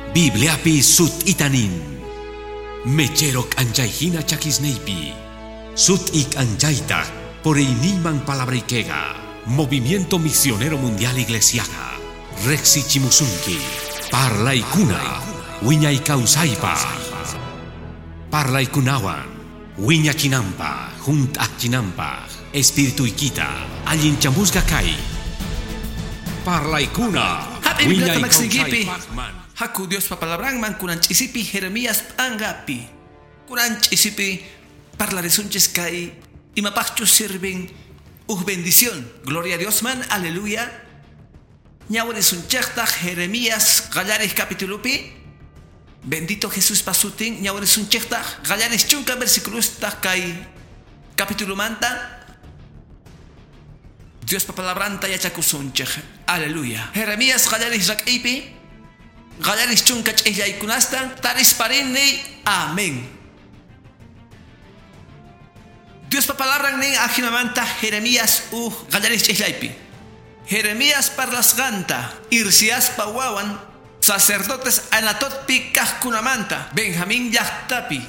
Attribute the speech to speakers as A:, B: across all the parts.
A: Bibliapi sut'itanin. Mechero k'anchayhina chakisniypi. Sut'i k'anchaytaq puriyniyman palabraykiqa. Movimiento Misionero Mundial Iglesiaqa. Riqsichimusunki. Parlaykuna. Wiñay kawsaypaq. Parlaykunawan. Wiñachinanpaq. Hunt'achinanpaq. Espirituykita. Allinchamusqa kay. Parlaykuna.
B: Happy
A: Wiñay
B: Bibliata maksiykipi.
A: kawsaypaqman.
B: Haku Diospa palabranman kunan ch'isipi Jeremías p'anqapi. Kunan ch'isipi parlarisunchis kay imapaqchus sirvin uj bendición. Gloria a Dios man, aleluya. Ñawrisunchejtaq Jeremías qallaris capitulupi. Bendito Jesús pasutin ñawrisunchejtaq qallaris chunka versiculustaq kay capitulumanta. Diospa palabranta yachakusunchej. Aleluya. Jeremías qallaris rak'ipi. Qallaris chunka ch'illaykunasta tarisparini. Amén. Diospa palabran nin ajinamanta Jeremías uj qallaris ch'illaypi. Jeremías parlasqanta Irsiaspa wawan sacerdotes Anatotpi kajkunamanta Benjamín llaqtapi.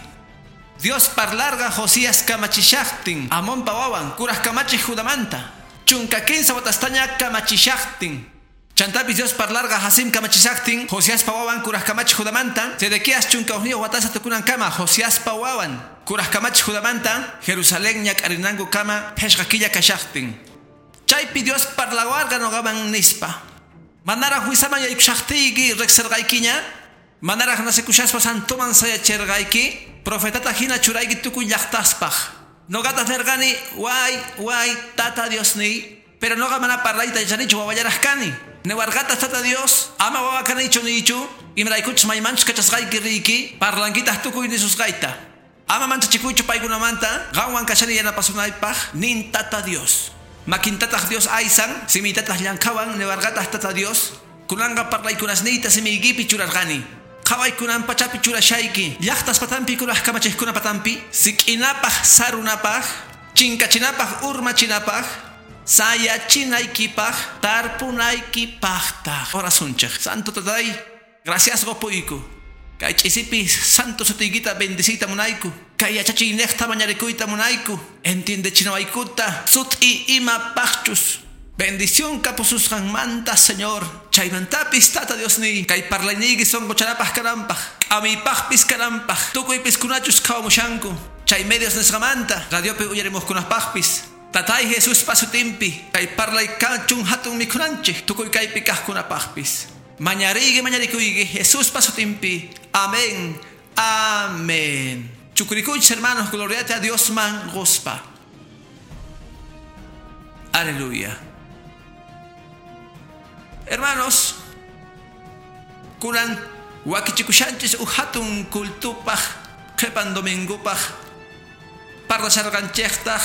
B: Dios parlarqa Josías kamachishaqtin Amonpa wawan kuraj kamachij Judamanta. Chunka kinsa watastaña kamachishaqtin. Chantapis Dios parlarqa Hasim kamachishaqtin Josiaspa wawan kuraj kamachij Judamanta. Sedequías chunka ujniyuq watasta tukunan kama Josiaspa wawan kuraj kamachij Judamanta. Jerusalén ñak'arinanku kama phishqa killa kashaqtin. Chaypi Dios parlawarqa nuqaman nispa. Manaraq wisaman yaykushaqtiyki riqsirqaykiña. Manaraq nasikushaspa santoman sayachirqayki. Profetata hina churayki tukuy llaqtaspaq. Nuqataq nirqani way way tata Diosniy. Pero nuqa mana parlayta yachanichu wawallaraq kani. Niwarqataq tata Dios ama wawa kanichu niychu. Imaraykuchus maymanchus kachasqayki riyki parlankitaq tukuy nisusqayta. Ama manchachikuychu paykunamanta qanwan kashani yanapasunaypaq nin tata Dios. Makintataq Dios aysan simiytataq llankhawan niwarqataq tata Dios. Kunanqa parlaykunasniyta simiykipi churarqani. Qhawaykunan pachapi churashayki. Llaqtas patampi kuraj kamachiqkuna patampi. Sik'inapaq sarunapaq. Chinkachinapaq urmachinapaq. Sayachinaykipaq tarpunaykipaqtaq. Orasunchik. Santo tatay, gracias qupuyku. Kay ch'isipi santo sutiykita bendicita munayku. Kay yachachiynejta mañarikuyta munayku. Entiendechinawaykuta sut'i imapaqchus. Bendición kapususqanmanta, Señor. Chaymantapis tata Diosniy. Kay parlayniyki sonqochanapaq kananpaq. K'amiypaqpis kananpaq. Tukuypis kunachus qhawamushanku. Chay medios nisqamanta radiopi uyarimuqkunapaqpis. Tatay Jesús pasutimpi. Kay parlay kachun hatun mikhunanchik. Tukuy kaypi kaqkunapaqpis. Mañariyki mañarikuyki Jesús pasutimpi. Amén. Amén. Chukurikuychis hermanos, gloriate a Dios man gospa. Aleluya. Hermanos, kunan wakichikushanchis uj hatun kultupaq qhipan domingopaq parlasharqanchejtaq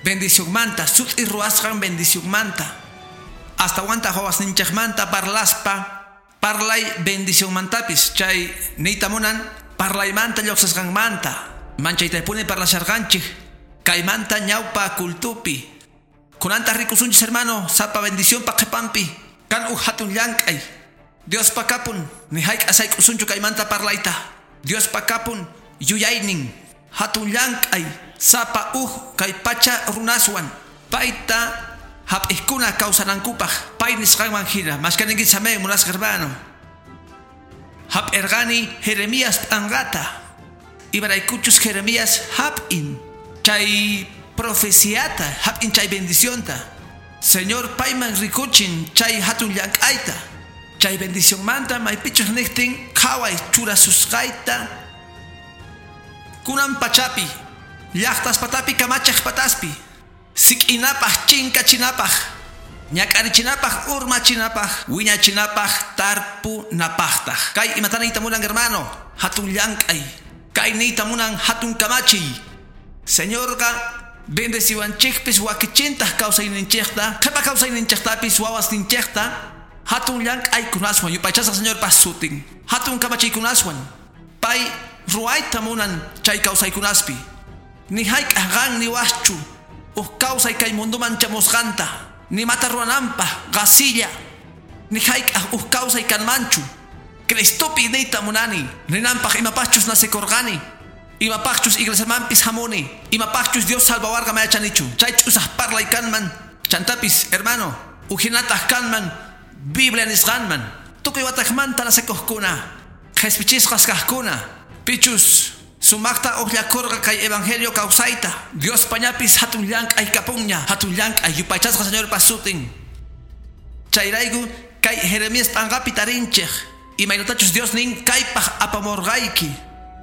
B: bendicionmanta sut'i ruwasqan bendicionmanta hasta wantaq wawasninchejmanta parlaspa parlay bendicionmantapis chay niyta munan parlaymanta lluqsisqanmanta manchaytaypuni parlasharqanchik kaymanta ñawpa kultupi kunantaq rikusunchis hermano sapa bendicionpa qhipanpi kan uj hatun llank'ay Diospa kapun ni hayk'a sayk'usunchu kaymanta parlayta Diospa kapun yuyaynin hatun llank'ay sapa uj kay pacha runaswan payta hap'iqkuna kawsanankupaq pay nisqanman hina mashkaninkichis amén munasqa hermano. Hap'irqani Jeremías p'anqata imaraykuchus Jeremías hap'in chay profeciata hap'in chay bendicionta. Señor payman rikuchin chay hatun llank'ayta chay bendicionmanta maypichus niqtin qhaway churasusqayta kunan pachapi llaqtas patapi kamachej pataspi sik'inapaq chinkachinapaq ñak'arichinapaq urmachinapaq wiñachinapaq tarpunapaqtaq. Kay imata niyta munan hermano hatun llank'ay kay niyta munan hatun kamachiy. Señorqa bendeciwanchikpis wakichintaq kawsayninchikta qhipa kawsayninchiktapis wawasninchikta hatun llank'aykunaswan yupaychasaq Señorpa sutin hatun kamachiykunaswan pay ruwayta munan chay kawsaykunaspi ni hayk'aq qan niwaqchu uj kawsay kay munduman chamusqanta ni mata ruwananpaq qasilla ni hayk'aq uj kawsay kanmanchu. Cristopi niyta munani. Ninanpaq imapaqchus nacekurqani. Imapaqchus iglesiamanpis hamuni. Imapaqchus Dios salvawarqa mayachanichu. Chay ch'usaq parlay kanman. Chantapis, hermano, ujinataq kanman Biblia nisqanman. Tukuy wataqmanta nacekuqkuna. Qhispichisqas kaqkuna. Pichus sumaqta uqllakurqa kay evangelio kawsayta. Dios pañapis hatun llank'ay kapunña. Hatun llank'ay yupaychasqa Señorpa sutin. Chayrayku kay Jeremías p'anqapi tarinchik. Imaynatachus Dios nin kaypaq apamurqayki.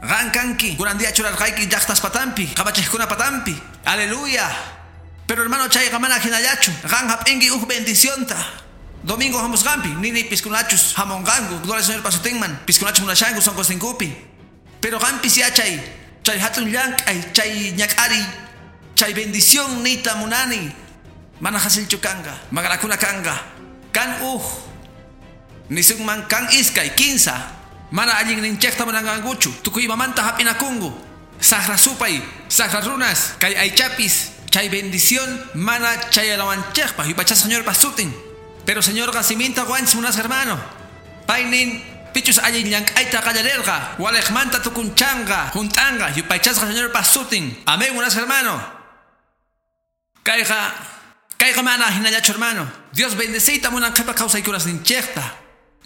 B: Qan kanki kunan día churarqayki llaqtas patampi, kamachiqkuna patampi. Aleluya. Pero hermano chayqa mana hinallachu. Qan hap'inki uj bendicionta. Domingo hamusqanpi, nini piskunachus hamunqanku, gloria al Señor sutinman, piskunachus munashanku sunqusninkupi. Pero qanpis yachay, chay hatun llank'ay, chay ñak'ariy, chay bendición niyta munani. Mana hasilchu kanqa, maqanakuna kanqa. Kan uj, nisunman kan iskay, kinsa. Mana allinninchikta munanqankuchu, tukuy imamanta hap'inakunku. Saqra supay, saqra runas, kay aychapis, chay bendición mana chayanawanchikpaq, yupaychasqa Señorpa sutin. Pero Señorqa siminta quwanchis munasqa hermano. Paynin pichus allin llank'ayta qallarirqa, waliqmanta tukunchanqa, junt'anqa, yupaychasqa Señorpa sutin. Amén, munasqa hermano. Kayqa mana hinallachu hermano. Dios bendeciyta munan qhipa kawsaykunasninchikta.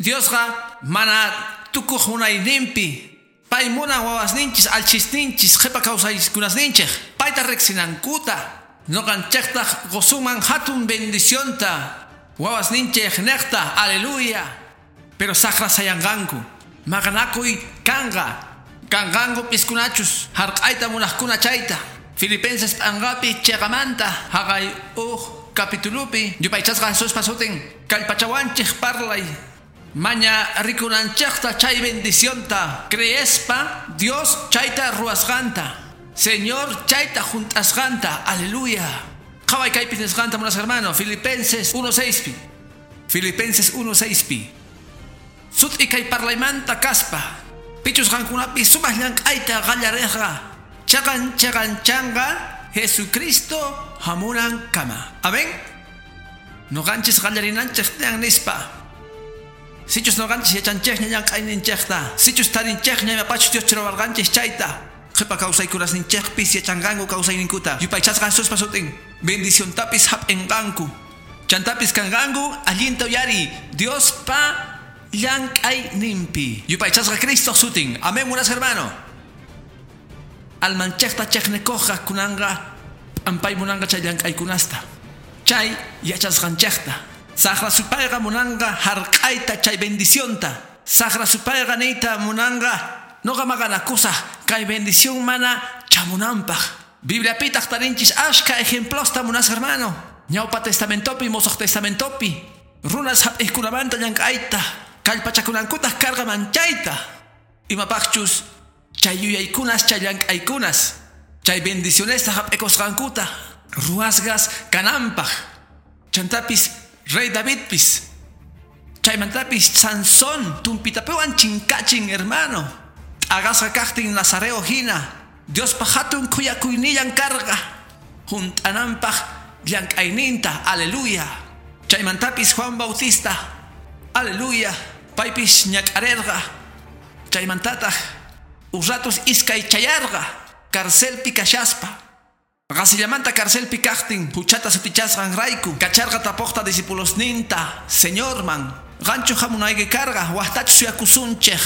B: Diosqa mana tukuq munayninpi. Pay munan wawasninchis, alchisninchis, qhipa kawsaykunasninchik. Payta riqsinankuta. Nuqanchiktaq qusunman hatun bendicionta. Wawasninchik niqta, aleluya. Pero saqra sayanqanku. Maqanakuy kanqa. Kanqanku piskunachus, hark'ayta munaqkuna chayta. Filipenses p'anqapi chiqamanta haqay uj capitulupi yupaychasqa Jesuspa sutin kallpachawanchik parlay. Maña rikunanchikta chay bendicionta creespa Dios chayta ruwasqanta. Señor chayta junt'asqanta. Aleluya. Qhaway kaypi nisqanta munasqa hermano. Filipenses 1:6 pi. Filipenses 1:6 pi. Sut'i kay parlaymanta kaspa. Pichus qankunapi sumaq llank'ayta qallariqqa. Chaqan chaqanchanqa Jesucristo hamunan kama. Amén. Nuqanchis qallarinanchik tiyan nispa. Sichus nuqanchis yachanchikña llank'ayninchikta. Sichus tarinchikña imapachus Dios churawarqanchis chayta. Qhipa kawsaykunasninchikpis yachanqanku kawsayninkuta. Yupaychasqa Jesuspa sutin. Bendiciontapis hap'inqanku. Chantapis kanqanku allinta uyari. Diospa llank'ayninpi. Yupaychasqa Cristo sutin. Amén, munasqa hermano. Almanchikta chiqnikuqqa kunanqa p'ampay munanqa chay llank'aykunasta. Chay yachasqanchikta. Saqra supayqa munanqa hark'ayta chay bendicionta. Saqra supayqa niyta munanqa nuqa maqanakusaq kay bendición mana chamunanpaq. Bibliapitaq tarinchis ashka ejemplosta munasqa hermano. Ñawpa testamentopi, Mosoq testamentopi. Runas hap'iqkunamanta llank'ayta. Kallpachakunankutaq karqa manchayta. Imapaqchus chay yuyaykunas, chay llank'aykunas, chay bendicionesta hap'ikusqankuta ruwasqas kananpaq. Chantapis Rey Davidpis, chaymantapis Sansón tumpitapiwan chinkachin hermano. T'aqasqa kaqtin Nazareo hina, Diospa hatun khuyakuynillan karqa. Junt'ananpaq llank'ayninta, aleluya. Chaymantapis Juan Bautista, aleluya. Paypis ñak'arirqa. Chaymantataq uratus iskay chayarqa carcelpi kashaspa. Qasillamanta carcelpi kaqtin huchata sutichasqanrayku kacharqa tapuqta discipulosninta Señorman qanchu hamunayki karqa waqtachu suyakusunchik.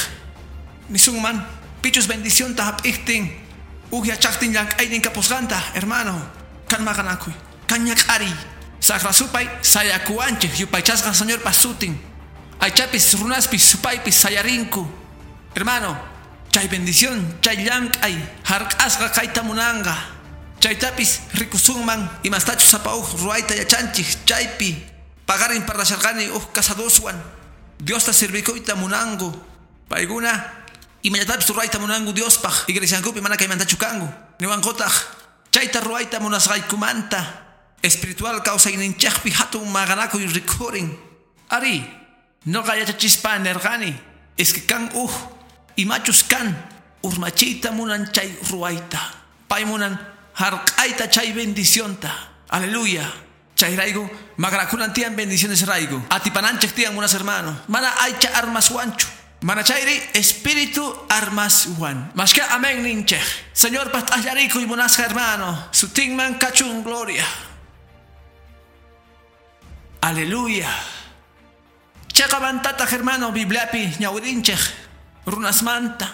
B: Nisunman pichus bendicionta hap'iqtin uj yachaqtin llank'aynin kapusqanta hermano. Kan maqanakuy, kan ñak'ariy. Saqra supay sayakuwanchik yupaychasqa Señorpa sutin. Aychapis runaspis supaypis sayarinku. Hermano, chay bendición, chay llank'ay hark'asqa kayta munanqa. Chaytapis rikusunman imastachus sapa uj ruwayta yachanchik chaypi. Paqarin parlasharqani uj casadoswan. Diosta sirvikuyta munanku. Paykuna imallatapis ruwayta munanku Diospaq. Iglesiankupi mana kaymantachu kanku. Niwankutaq chayta ruwayta munasqaykumanta espiritual kawsayninchikpi hatun maqanakuy rikhurin. Ari, nuqa yachachispa nirqani. Es que kan uj imachus kan urmachiyta munan chay ruwayta. Pay munan hark'ayta chay bendicionta. Aleluya. Chayrayku maqanakunan tiyan bendiciones rayku. Atipananchik tiyan munas hermano. Mana aycha armaswanchu. Manachayri espíritu armaswan. Mashka amén ninchej. Señor pastallarikuy munasqa hermano. Sutinman kachun gloria. Aleluya. Cheqamantataq hermano Bibliapi ñawirinchej runasmanta.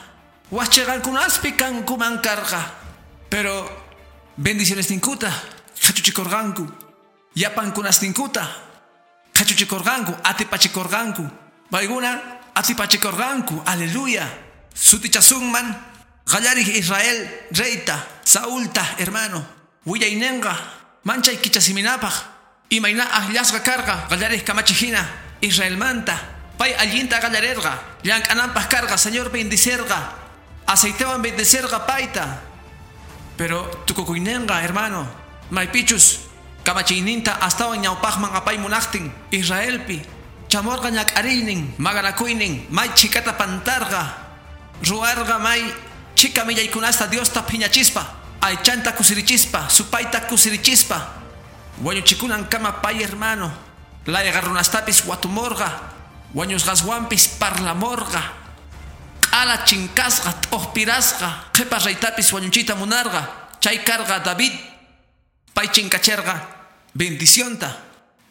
B: Wachcheqankunaspi kankuman karqa. Pero bendiciones ninkuta qhachuchikurqanku. Yapankunas ninkuta qhachuchikurqanku, atipachikurqanku. Paykuna atipachikurqanku. Aleluya. Sutichasunman qallarij Israel reyta Saulta hermano. Willaynenqa manchay kichasiminapaq. Imayna akllasqa karqa qallarij kamachijina Israelmanta. Pay allinta qallarerqa. Llank'ananpaq karqa Señor bendicerqa. Aceitewan bendicerqa payta. Pero tukukuynenqa hermano. Maypichus kamachiyninta astawan ñawpaqman apay munaqtin Israelpi. Chamorqa ñak'ariynin maqanakuynin may chhikata pantarqa. Ruwarqa may chhika millaykunasta Diosta phiñachispa. Aychanta kusirichispa, supayta kusirichispa. Wañuchikunan kama pay hermano. Layqa runastapis watumorqa. Wañusqaswanpis parlamorqa. Q'ala chinkasqa t'uqpirasqa. Qhipa reytapis wañuchiyta munarqa. Chay karqa David. Pay chinkacherqa bendicionta.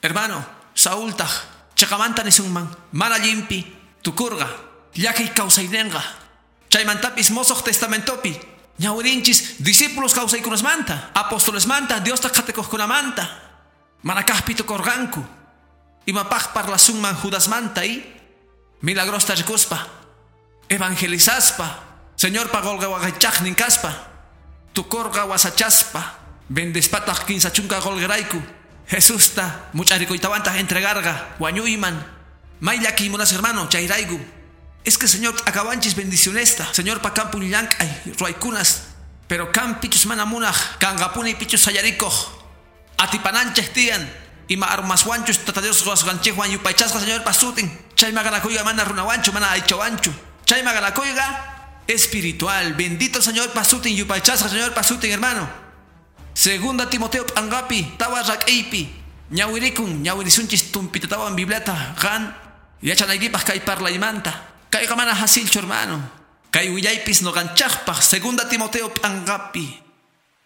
B: Hermano, Saultaq chaqamanta nisunman mana llimpi tukurqa. Llakiy kawsaynenqa. Chaymantapis Mosoq Testamentopi ñawirinchis discípulos kawsaykunasmanta, apostolesmanta, Diosta qhatikuqkunamanta. Mana kaqpi tukurqanku. Imapaq parlasunman Judasmanta y milagrosta rikuspa, evangelizaspa, Señorpa qolqe waqaychaqnin kaspa, tukurqa wasachaspa, bendispataq kinsa chunka qolqerayku. Jesusta much'arikuytawantaq entregarqa wañuyman. May llakiy munas hermano chayrayku. Es que Señor akawanchis bendicionesta. Señorpa kampun llank'ay ruwaykunas. Pero kan pichus mana munaq kanqapuni pichus sayarikuq. Atipananchej tiyan. Ima armaswanchus Tata Dios ruwasqanchikwan yupaychasqa Señorpa sutin. Chay maqanakuyqa mana runawanchu mana aychawanchu. Chay maqanakuyqa espiritual. Bendito Señorpa sutin yupaychasqa Señorpa sutin hermano. Segunda Timoteo p'anqapi tawa rak'iypi ñawirikun ñawirisunchis tumpitatawan Bibliata qan yachanaykipaq kay parlaymanta. Kayqa mana hasilchu hermano. Kay willaypis nuqanchaqpaq Segunda Timoteo p'anqapi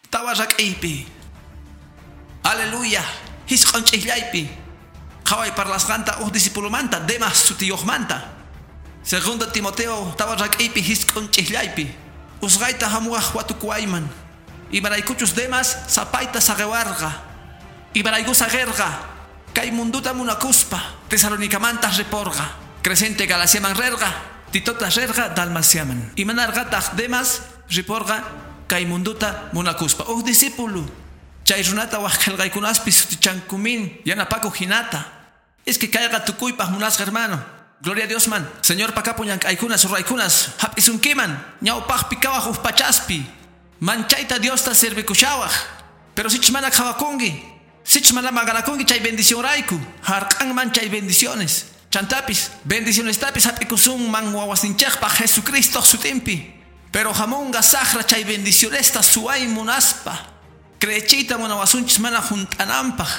B: tawa rak'iypi. Aleluya. Hisq'un ch'iqllaypi. Qhaway parlasqanta uj discipulomanta Demas sutiyuqmanta. Segunda Timoteo tawa rak'iypi hisq'un ch'iqllaypi. Usqayta hamuwaq watukuwayman. Imaraykuchus Demas sapayta saqiwarqa. Imarayku saqirqa. Kay munduta munakuspa Tesalonicamantas riporqa. Crescente Galaciaman rerqa. Titota rerqa Dalmaciaman. Imanarqataq Demas riporqa kay munduta munakuspa. Uj discípulo. Chay runata waq qillqaykunaspi sutichankumin yanapakuq hinata. Es que kayqa tukuypaq munasqa hermano. Gloria a Dios man. Señor kapun llank'aykunas ruraykunas hap'isunkiman ñawpaqpi kawaq uj pachaspi. Manchayta Diosta servikushawaq. Pero sichus mana qhawakunki, sichus mana maqanakunki chay bendición rayku, hark'anman chay bendiciones. Chantapis, bendicionestapis hap'ikusunman wawasninchikpaq Jesucristo sutinpi. Pero hamunqa saqra chay bendicionesta suway munaspa. Creechiyta munawasunchis mana junt'ananpaq.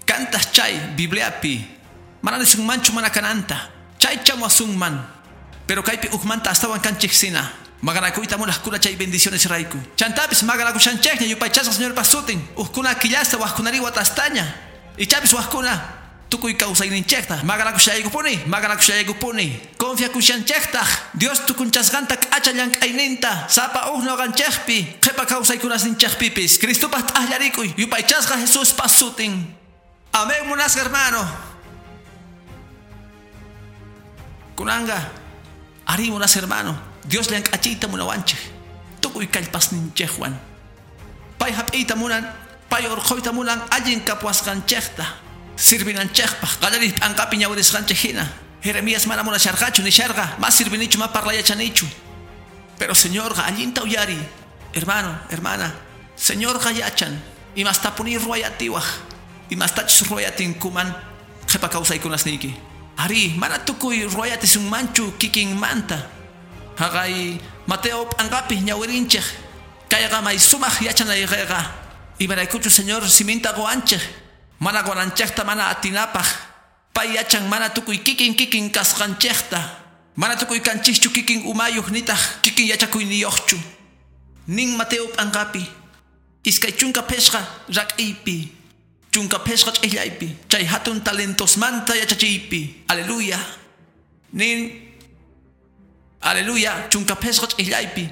B: Kantas chay Bibliapi. Mana nisunmanchu mana kananta. Chay chamuwasunman. Pero kaypi ujmanta astawan kanchik sina. Maqanakuyta munaqkuna chay bendiciones rayku. Chantapis maqanakushanchikña yupaychasqa Señorpa sutin. Ujkuna killasta wajkunari watastaña. Ichapis wajkuna tukuy kawsayninchikta. Maqanakushallaykupuni, maqanakushallaykupuni. Confiakushanchiktaq Dios tukunchasqanta k'acha llank'ayninta. Sapa uj nuqanchikpi qhipa kawsaykunasninchikpipis. Cristopaq t'aqllarikuy yupaychasqa Jesuspa sutin. Amén munasqa hermano. Kunanga ari munas hermano. Dios llank'achiyta munawanchik. Tukuy kallpasninchikwan. Pay hap'iyta munan, pay urquyta munan allin kapuwasqanchikta. Sirvinanchikpaq qallariq p'anqapi ñawirisqanchik hina. Jeremías mana munasharqachu nisharqa, mas sirvinichu ma parlayachanichu. Pero Señorqa allinta uyari. Hermano, hermana, Señorqa yachan. Imastapuni ruwayatiwaq. Imastachus ruwayatinkuman qhipa kawsaykunasniyki. Ari, mana tukuy ruwayatisunmanchu kikinmanta. Haqay Mateo p'anqapi ñawirinchik. Kayqa may sumaq yachanayqayqa. Imaraykuchu Señor siminta quwanchik. Mana quwananchikta mana atinapaq. Pay yachan mana tukuy kikin kikin kasqanchikta. Mana tukuy kanchikchu kikin umayuq nitaq kikin yachakuyniyuqchu. Nin Mateo p'anqapi 25 rak'iypi 15 ch'illaypi chay hatun talentosmanta yachachiypi. Aleluya. Nin aleluya 15 ch'illaypi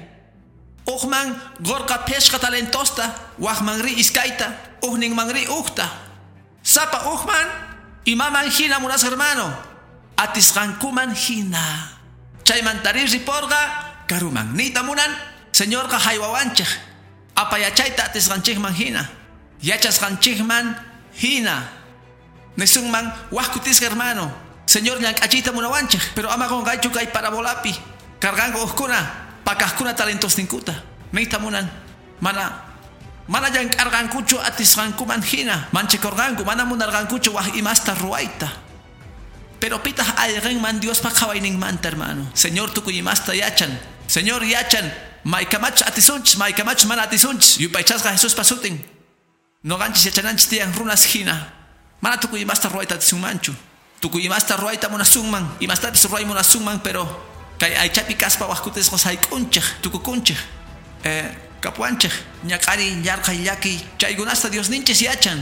B: Uqman gorqa phishqa talentosta waqmanri iskayta uqninmanri uqta. Sapa uqman imaman hina munasqa hermano atisqankuman hina. Chaymantari riporqa karuman niyta munan Señorqa haywawanchik apayachayta atisqanchikman hina yachasqanchikman hina. Nisunman waq kutisqa hermano Señor llank'achiyta munawanchik pero ama qunqaychu kay parabolapi karqanku uqkuna pakaqkuna talentosninkuta niyta munan mana llank'arqankuchu atisqankuman hina manchikurqanku mana munarqankuchu waq imasta ruwayta. Pero pitaq ayqinman Diospa qhawayninmanta hermano. Señor tukuy imasta yachan. Señor yachan maykamachus atisunchis maykamachus mana atisunchis yupaychasqa Jesuspa sutin. Noqanchis yachananchis tiyan runas hina. Mana tukuy imasta ruwayta atisunmanchu. Tukuy imasta ruwayta munasunman imastapis ruway munasunman pero kay aychapi kaspa waq kutisqa sayk'unchik tukukunchik kapuanchik ñak'ariy yarqay llakiy chaykunasta Diosninchis yachan.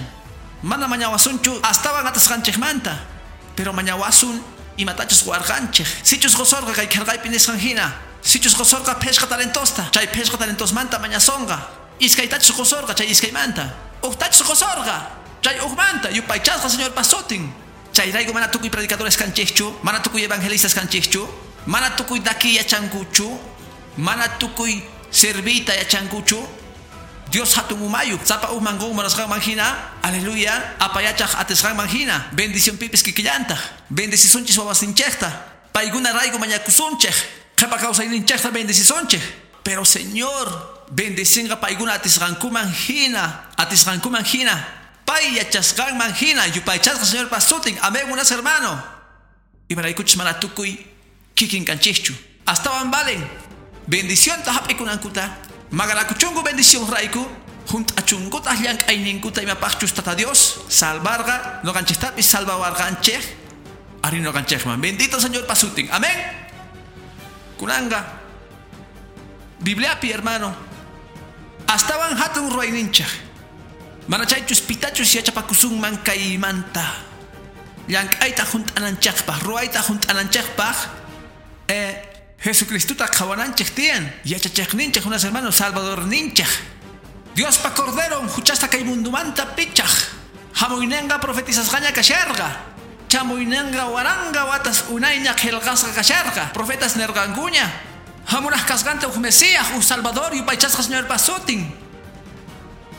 B: Mana mañawasunchu astawan atisqanchikmanta pero mañawasun imatachus warqanchik. Sichus qusorqa kay qillqaypi nisqan hina sichus qusorqa phishqa talentosta chay phishqa talentosmanta mañasonqa iskaytachus qusorqa chay iskaymanta uqtachus qusorqa chay uqmanta yupaychasqa Señorpa sutin. Chayrayku mana tukuy predicadores kanchikchu mana tukuy evangelistas kanchikchu mana tukuy taki yachankuchu mana tukuy servita yachankuchu. Dios hatun umayuq sapa uqman qun munasqanman hina aleluya apayachaq atisqanman hina bendición pipis kikillantaq bendecisunchis wawasinchikta paykuna rayku mañakusunchik qhipa kawsayninchikta bendecisunchik pero Señor bendicinqa paykuna atisqankuman hina atisqankuman hina pay yachasqanman hina yupaychasqa Señorpa sutin. Amén munasqa hermano. Imaraykuchis mana tukuy kikin kanchikchu astawan valen bendicionta hap'ikunankuta magarakuchunku bendición rayku junt'achunkutaq llank'ayninkuta imapaqchus Tata Dios salvarqa noqanchiktapis salvawarqanchik ari noqanchikman. Bendito Señor pasutin. Amén. Kunanga Bibliapi hermano astawan hatun ruwayninchik mana chaychus pitachus yachapakusunman kaymanta llank'ayta junt'ananchikpaq ruwayta junt'ananchikpaq Jesucristuta qhawananchik tiyan yachachiqninchik unas hermanos Salvadorninchik Diospa Corderon huchasta kay mundumanta pichaq hamuynenqa profetizasqaña kasharqa chamuynenqa waranga watas unayña qillqasqa kasharqa profetas nirqankuña hamunaq kasqanta uj Mesías uj Salvador yupaychasqa Señorpa sutin.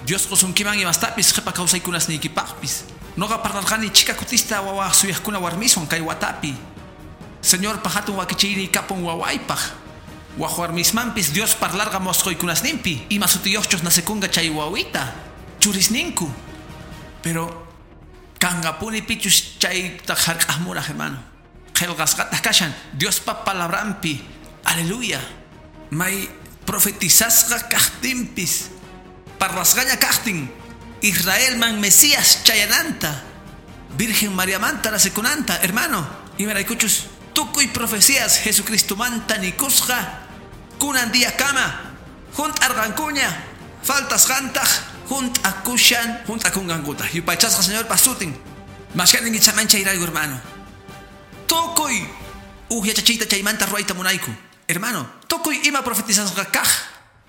B: Dios qusunkiman imastapis qhipa kawsaykunasniykipaqpis noqa parlarqani chika kutista wawa suyaqkuna warmiswan kay watapi Señor hatun wakichiyniy kapun wawaypaq waq warmismanpis Dios parlarqa mosqoykunasninpi ima sutiyuqchus nacekunqa chay wawita churisninku pero kanqapuni pichus chayta hark'aqmunaq hermano qillqasqataq kashan Diospa palabranpi. Aleluya. May profetizasqa kaqtinpis parlasqaña kaqtin Israelman Mesías chayananta Virgen Mariamanta nacekunanta hermano imaraykuchus tukuy profecías Jesucristomanta nikusqa kunan día kama junt'arqankuña faltasqantaq junt'akushan junt'akunqankuta yupaychasqa Señorpa sutin. Mashkanin ichaman chayrayku hermano tukuy uj yachachiyta chaymanta ruwayta munayku hermano tukuy ima profetizasqa kaq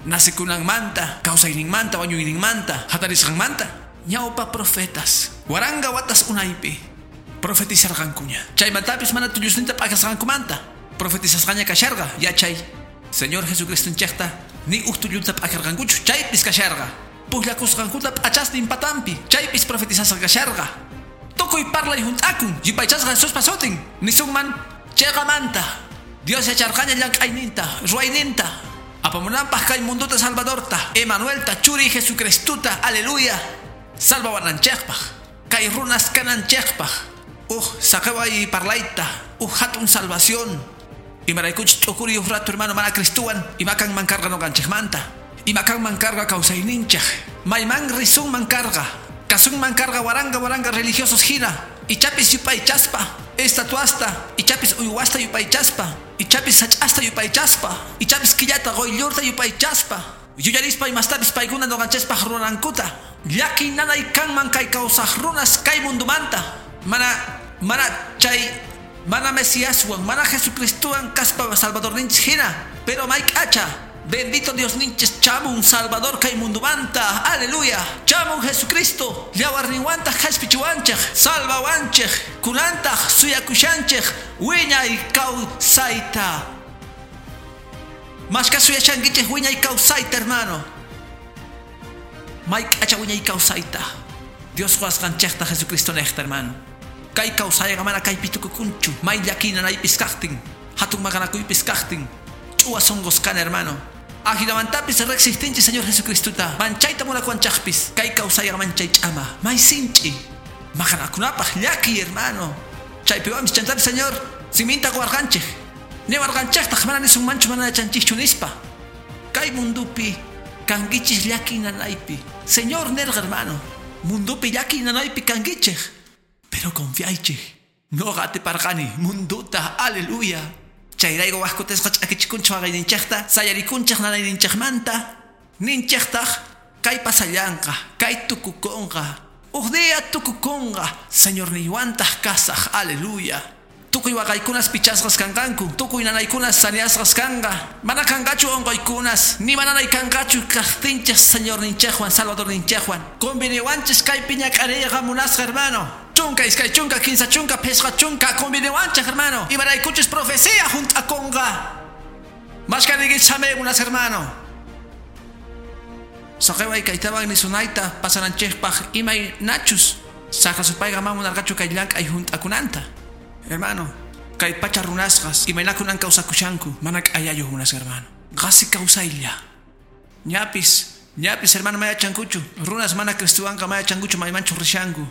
B: nacekunanmanta kawsayninmanta wañuyninmanta hatarisqanmanta ñawpa profetas waranga watas unaypi profetizarqankuña chaymantapis mana tullusninta p'akasqankumanta profetizasqaña kasharqa yachay Señor Jesucristonchikta ni uj tullunta p'akarqankuchu chaypis kasharqa pujllakusqankuta p'achasnin patampi chaypis profetizasqa kasharqa tukuy parlay junt'akun yupaychasqa Jesuspa sutin nisunman chiqamanta Dios yacharqaña llank'ayninta ruwayninta apamunanpaq kay munduta Salvadorta Emanuelta churi Jesucristuta aleluya salvawananchikpaq kay runas kananchikpaq uj saqeway parlayta uj hatun salvación imaraykuchus t'ukuri uj rato hermano mana Cristuwan imakanman karqa noqanchikmanta imakanman karqa kawsayninchik mayman risunman karqa kasunman karqa waranga waranga religiosos hina ichapis yupaychaspa Estatuasta, ichapis uywasta yupaychaspa, ichapis sach'asta yupaychaspa, ichapis killata quyllurta yupaychaspa. Yuyarispa imastapis paykuna nuqanchispaq ruranankuta. Llaki nanay kanman kay kawsaq runas kay mundumanta. Mana chay, mana Mesiaswan, mana Jesucristowan kaspa Salvadorninchis hina. Pero may k'acha, bendito Diosninchis chamun Salvador kay mundumanta. Aleluya. Chamun Jesucristo. Yawarninwantaq qhashpichiwanchik, salvawanchik, kunantaq suyakushanchik, wiñay kawsayta. Mashka suyashankichik wiñay kawsayta, hermano. May k'acha wiñay kawsayta. Dios quwasqanchikta Jesucristo niqta, hermano. Kay kawsayqa mana kaypi tukukunchu. May llaki nanaypis kaqtin, hatun maqanakuypis kaqtin. Ch'uwa sunqus kana, hermano. Ajinamantapis riqsiptinchik Señor Jesucristota. Manchayta munakuwanchikpis. Kay kawsayqa manchay ch'ama. May sinch'i. Maqanakunapaq llaki, hermano. Chaypiwanpis chantapis Señor siminta quwarqanchik. Niwarqanchiktaq mana nisunmanchu mana yachanchikchu nispa. Kay mundupi kankichis llaki nanaypi. Señor nerqa, hermano. Mundupi llaki nanaypi kankichik. Pero confiaychik. Noqa atiparqani munduta. Aleluya. Chayrayku wajkutisqa ch'akichikunchik waqayninchikta, sayarikunchik nanayninchikmanta, ninchiktaq kay pasallanqa, kay tukukunqa, uj día tukukunqa, Señorniywantaq kasaq. Aleluya. Tukuy waqaykunas pichasqas kanqanku, tukuy nanaykunas saniasqas kanqa, mana kanqachu unquykunas, ni mananay kanqachu kaqtinchik Señorninchikwan, Salvadorninchikwan. Conveniwanchis kaypi ñak'ariyqa munasqa, hermano. Chunka, iskay chunka, kinsa chunka, phishqa chunka, conveniwanchik, hermano. Imaraykuchus profecía junt'akunqa. Mashkaniykichis samay munas, hermano. Saqeway kaytawan nisunayta pasananchikpaq imay nachus saqra supayqa mana munarqachu kay llank'ay junt'akunanta. Hermano, kay pacha runasqas imaynakunan kawsakushanku mana k'ayayuq munasqa, hermano. Qasi kawsaylla. Ñapis, hermano, mayachankuchu. Runas mana Cristowanqa mayachankuchu maymanchu rishanku.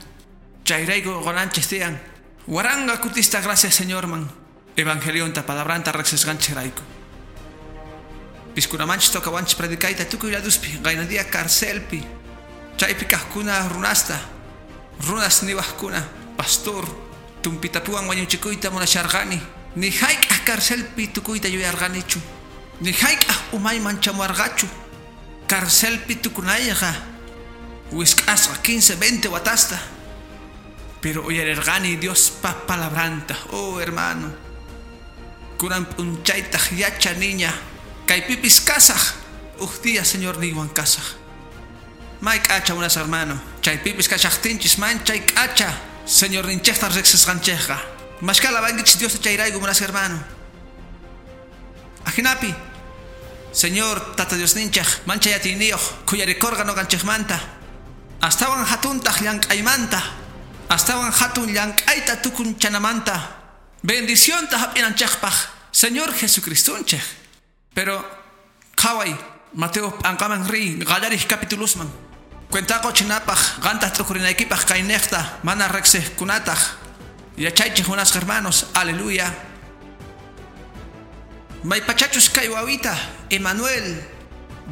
B: Chayrayku qunanchis tiyan. Waranqa kutista gracias Señorman. Evangelionta palabranta riqsisqanchikrayku. Piskunamanchis tokawanchis predicayta tukuy laduspi, qaynadía carcelpi. Chaypi kaqkuna runasta, runas niwaqkuna, pastor, tumpitapuwan wañuchikuyta munasharqani. Ni hayk'aq carcelpi tukuyta yuyarqanichu. Ni hayk'aq umayman chamuarqachu. Carcelpi tukunayqa wisq'asqa 15, 20 watasta. Pero uyarirqani Diospa palabranta. Oh, hermano. Kunan p'unchaytaq yachaniña. Kaypipis kasaq. Uj día Señor niywan kasaq. May k'acha unas, hermano. Chaypipis kashaqtinchis manchay k'acha. Señor ninchikta riqsisqanchikqa. Mashka alabankichis Diosta chayrayku munas, hermano. Ajinapi. Señor Tata Dios ninchik manchay atiyniyuq khuyarikurqa nuqanchikmanta. Astawan hatuntaq llank'aymanta. Astawan hatun llank'ayta tukunchanamanta. Bendicionta hap'inanchikpaq Señor Jesucristonchik. Pero qhaway Mateo p'anqaman riy qallariq capitulusman. Cuentaqo chinapaq qantaq t'ukurinaykipaq kayniqta mana riqsiqkunataq. Yachaychik munasqa hermanos. Aleluya. Maypachachus kay wawita Emanuel,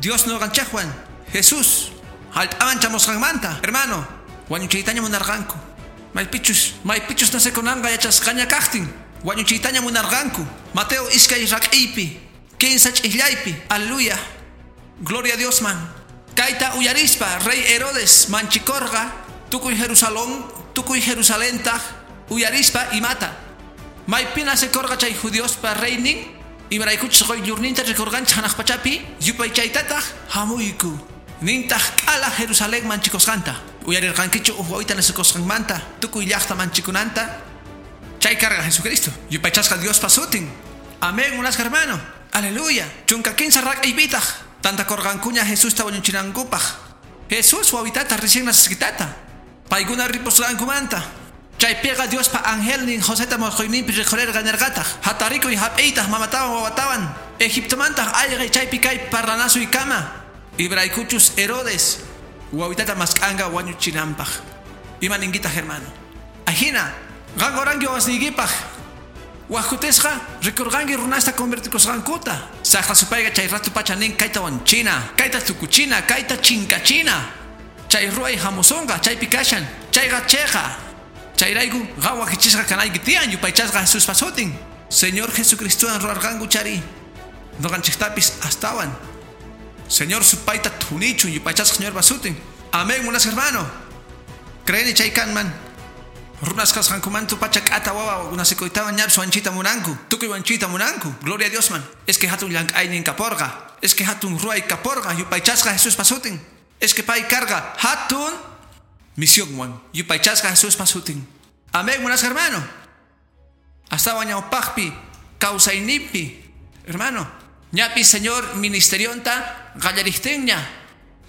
B: Dios nuqanchikwan, Jesús hallp'aman chamusqanmanta, hermano, wañuchiytaña munarqanku. Maypichus nacekunanqa yachasqaña kaqtin, wañuchiytaña munarqanku. Mateo iskay rak'iypi, kinsa ch'ijllaypi. Aleluya. Gloria a Dios man. Kayta uyarispa rey Herodes manchikorqa tukuy Jerusalén, tukuy Jerusalentaq uyarispa imata. Maypi nacekorqa chay judiospa reynin, imaraykuchus quyllurninta rikurqanchik hanaq pachapi, yupaychaytataq hamuyku. Nintaq k'ala Jerusalén manchikusqanta. Uyarirqankichu uj wawita nacekusqanmanta, tukuy llaqta manchikunanta. Chay karqa Jesucristo, yupaychasqa Diospa sutin. Amén, munasqa hermano. Aleluya. Chunka kinsa rak'aypitaq tantakurqankuña Jesusta wañuchinankupaq. Jesús wawitata recién nacesqitata. Paykuna ripusqankumanta. Chaypiqa Diospa angelnin Joseta musquyninpi rikhurerqa nerqataq. Hatarikuy hap'iytaq mamatawan wawatawan. Egiptomantaq ayqay chaypi kay parlanasuykama. Ibraykuchus Herodes wawitata mask'anqa wañuchinanpaq. Ima ninkitaq, hermano. Ajina, qan oranki wawasniykipaq. Wajkutisqa rikurqanki runasta convertikusqankuta. Saqra supayqa chay ratu pacha nin kayta wanchina, kayta tukuchina, kayta chinkachina. Chay ruway hamusunqa, chaypi kashan, chayqa cheqa. Chayrayku qam wakichisqa kanayki tiyan yupaychasqa Jesuspa sutin. Señor Jesucristowan ruwarqanku chari. Noqanchiktapis astawan. Señor supayta thunichun yupaychasqa Señorpa sutin. Amén, munasqa hermano. Creeni chay kanman. Runas kasqankumanta pacha k'ata wawa nasikuytawan ñapis wanchita munanku. Tukuy wanchita munanku. Gloria a Dios man. Es que hatun llank'aynin kaporqa. Es que hatun ruway kaporqa yupaychasqa Jesuspa sutin. Es que pay karqa hatun misionwan yupaychasqa Jesuspa sutin. Amén, munasqa hermano. Astawan ñawpaqpi kawsayninpi, hermano. Ñapi Señor ministerionta qallariptinña.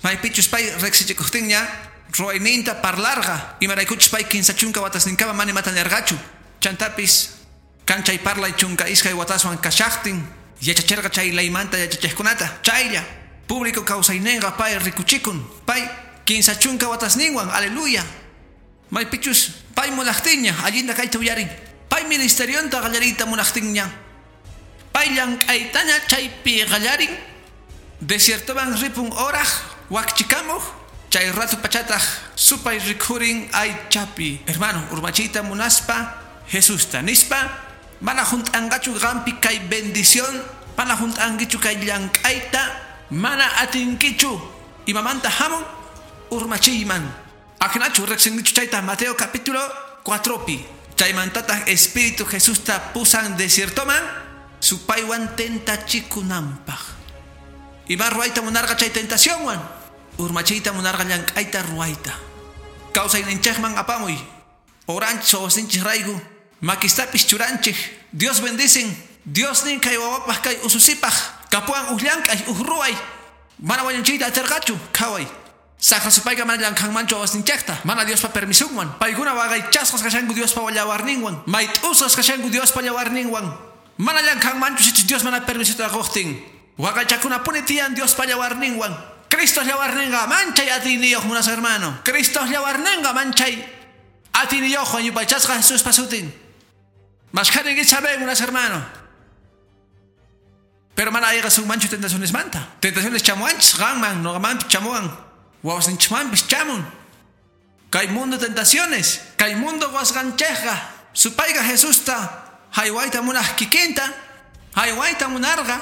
B: Maypichus pay riqsichikuqtinña ruwayninta parlarqa. Imaraykuchus pay 30 watasninkama mana imata nirqachu. Chantapis kanchay parlay 12 wataswan kashaqtin yachachirqa chay leymanta yachachiqkunata. Chaylla público kawsayninqa pay rikuchikun. Pay 30 watasninwan, aleluya. Maypichus pay munaqtinña allinta kayta uyarin. Pay ministerionta qallariyta munaqtinña. Pay llank'aytaña chaypi qallarin. Desiertoman ripun oraj wakchikamuq. Chay rato pachataq supay rikhurin aychapi. Hermano, urmachiyta munaspa Jesusta nispa mana junt'anqachu qampi kay bendición, mana junt'ankichu kay llank'ayta, mana atinkichu imamanta hamun urmachiyman. Ajinachu riqsinkichu chayta Mateo capítulo 4pi. Chaymantataq Espíritu Jesusta pusan desiertoman supaywan tentachikunanpaq. Ima ruwayta munarqa chay tentacionwan. Urmachiyta munarqa llank'ayta ruwayta. Kawsayninchikman apamuy. Oranchis wawasinchis rayku. Makistapis churanchik. Dios bendicen. Dios nin kay wawapaq kay ususipaq. Kapuwan uj llank'ay uj ruway. Mana wañunchiyta atirqachu. Qhaway. Saqra supayqa mana llank'anmanchu wawasninchikta. Mana Diospa permisunwan. Paykuna waqaychasqas kashanku Diospa llawarninwan. Mayt'usqas kashanku Diospa llawarninwan. Mana llank'anmanchu sichus Dios mana permisota quqtin. Waqaychakunapuni tiyan Diospa llawarninwan. Cristo llawarninqa manchay atiyniyuq munasqa hermano. Cristo llawarninqa manchay atiyniyuq yupaychasqa Jesuspa sutin. Mashkharinki saben munasqa hermano. Pero mana ayqasunmanchu tentacionesmanta. Tentaciones chamuanchis qanman nuqamanpis chamuwan. Wawasninchikmanpis chamun. Kay mundo tentaciones. Kay mundo wasqanchikqa. Supayqa Jesusta haywayta munaq kikinta. Haywayta munarqa.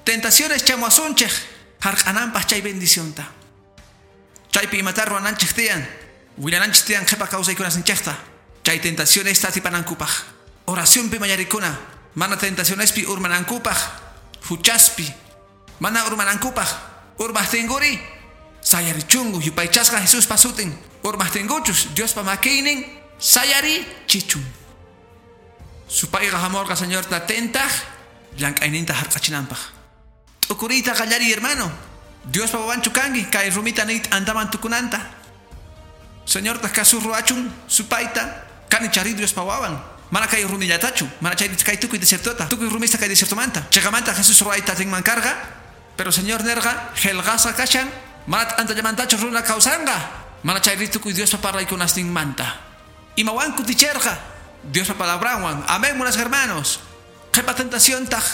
B: Tentaciones chamuwasunchik. Hark'ananpaq chay bendicionta. Chaypi imata ruwananchik tiyan. Willananchik tiyan qhipa kawsaykunasninchikta. Chay tentacionesta atipanankupaq. Oracionpi mañarikuna. Mana tentacionespi urmanankupaq. Huchaspi. Mana urmanankupaq. Urmaqtinkuri. Sayarichunku yupaychasqa Jesuspa sutin. Urmaqtinkuchus Diospa makiynin sayarichichun. Supayqa hamurqa Señorta tentaq llank'ayninta hark'achinanpaq. T'ukuriyta qallariy hermano. Diospa wawanchu kanki kay rumita niyta antaman tukunanta. Señortaq kasu ruwachun supayta kani chari Diospa wawan. Mana kay rumillatachu, mana chay kay tukuy desiertota, tukuy rumista kay desiertomanta. Chiqamanta Jesús ruwayta atinman karqa, pero Señor nerqa qillqasqa kashan, mana t'antallamantachu runa kawsanqa, mana chay tukuy Diospa parlaykunasninmanta. Imawan kuticherqa Diospa palabranwan. Amén, munasqa hermanos. Qhipa tentaciontaq,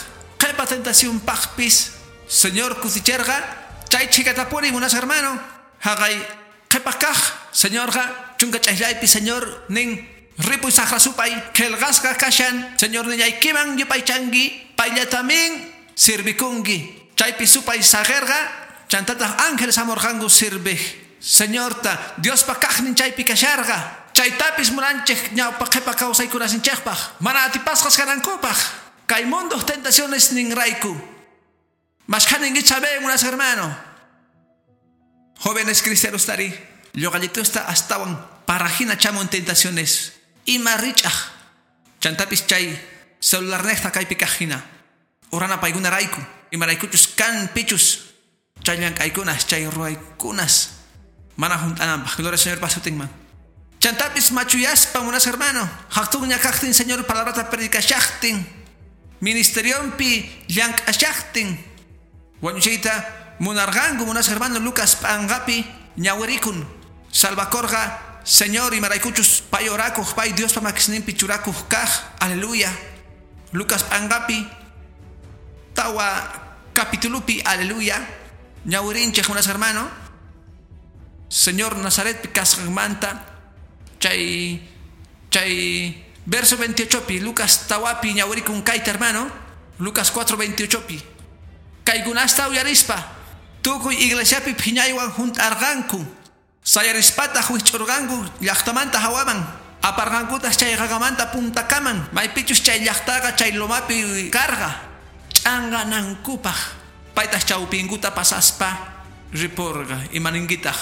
B: qhipa tentacionpaqpis Señor kuticherqa chay chhikatapuni munasqa hermano. Haqay qhipa kaq Señorqa chunka ch'ayllaypi Señor nin ripuy saqra supay qillqasqa kashan Señor nillaykiman yupaychanki payllatamin sirvikunki. Chaypi supay saqirqa chantataq ángeles hamurqanku sirviq Señorta Diospa kaqnin chaypi kasharqa. Chaytapis munanchik ñawpa qhipa kawsaykunasinchikpaq mana atipasqas kanankupaq. Kay munduq tentaciones ninrayku. Mashkhaninki saben munasqa hermano. Jóvenes cristianos tari lluqallitusta astawan parajina chamun tentaciones. Ima rich'aq. Chantapis chay celularnejta kaypi kaqhina. Urana paykunarayku. Imaraykuchus kan pichus. Chay llank'aykunas, chay ruwaykunas. Mana junt'ananpaq. Gloria al Señor pasutinman. Chantapis machuyaspa munasqa hermano. Haqtunña kaqtin Señor palabrata predicashaqtin. Ministerionpi llank'ashaqtin. Wañuchiyta munarqanku munasqa hermano Lucas p'anqapi ñawirikun. Salvakorqa Señor imaraykuchus pay orakuq pay Diospa makisninpi churakuq kaq. Aleluya. Lucas p'anqapi tawa capitulupi aleluya. Ñawirinchik munasqa hermano. Señor Nazaretpi kasqanmanta chay Chay verso 28pi Lucas tawapi ñawirikun kayta, hermano. Lucas 4:28pi. Kaykunasta uyarispa tukuy iglesiapi phiñaywan junt'arqanku. Sayarispataq wich'urqanku llaqtamanta hawaman. Aparqankutaq chay qaqamanta puntakaman. Maypichus chay llaqtaqa chay lomapi karqa. Ch'anqanankupaq. Paytaq chawpinkuta pasaspa ripurqa. Imaninkitaq.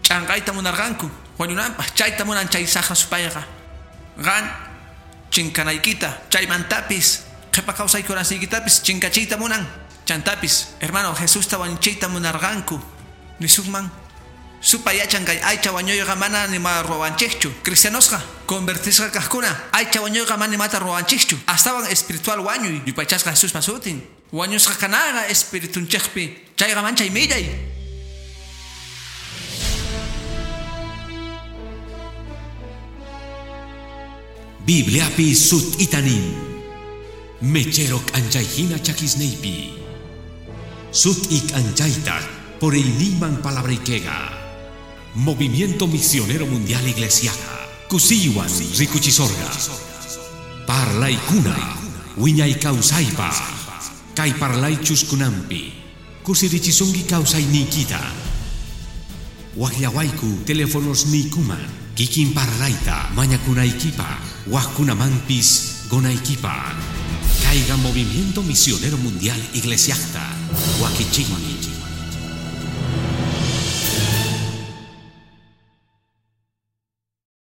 B: Ch'anqayta munarqanku. Wañunanpaq chayta munan chay saqra supayqa. Qan chinkanaykita chaymantapis qhipa kawsaykunasiykitapis chinkachiyta munan. Chantapis, hermano, Jesusta wañuchiyta munarqanku. Nisunman supay yachan kay aycha wañuyqa mana nima ruwanchikchu. Cristianosqa convertisqa kaqkuna aycha wañuyqa mana nimata ruwanchikchu. Astawan espiritual wañuy yupaychasqa Jesuspa sutin. Wañusqa kanaqa espiritunchikpi chayqa manchay millay.
A: Bibliapi sut'ita nin. Mechero k'anchayhina chakisniypi. Sut'i k'anchaytaq puriyniyman palabraykiqa. Movimiento Misionero Mundial Iglesiaqa kusiywan rikuchisorqa. Parlaykuna wiñay kawsaypaq. Kay parlaychus kunanpi kusirichisunki kawsayniykita. Waqllawayku telefonosniykuman kikin parlayta mañakunaykipaq waqkunamanpis qunaykipaq. Kayqa Movimiento Misionero Mundial Iglesiaqta wakichiymi.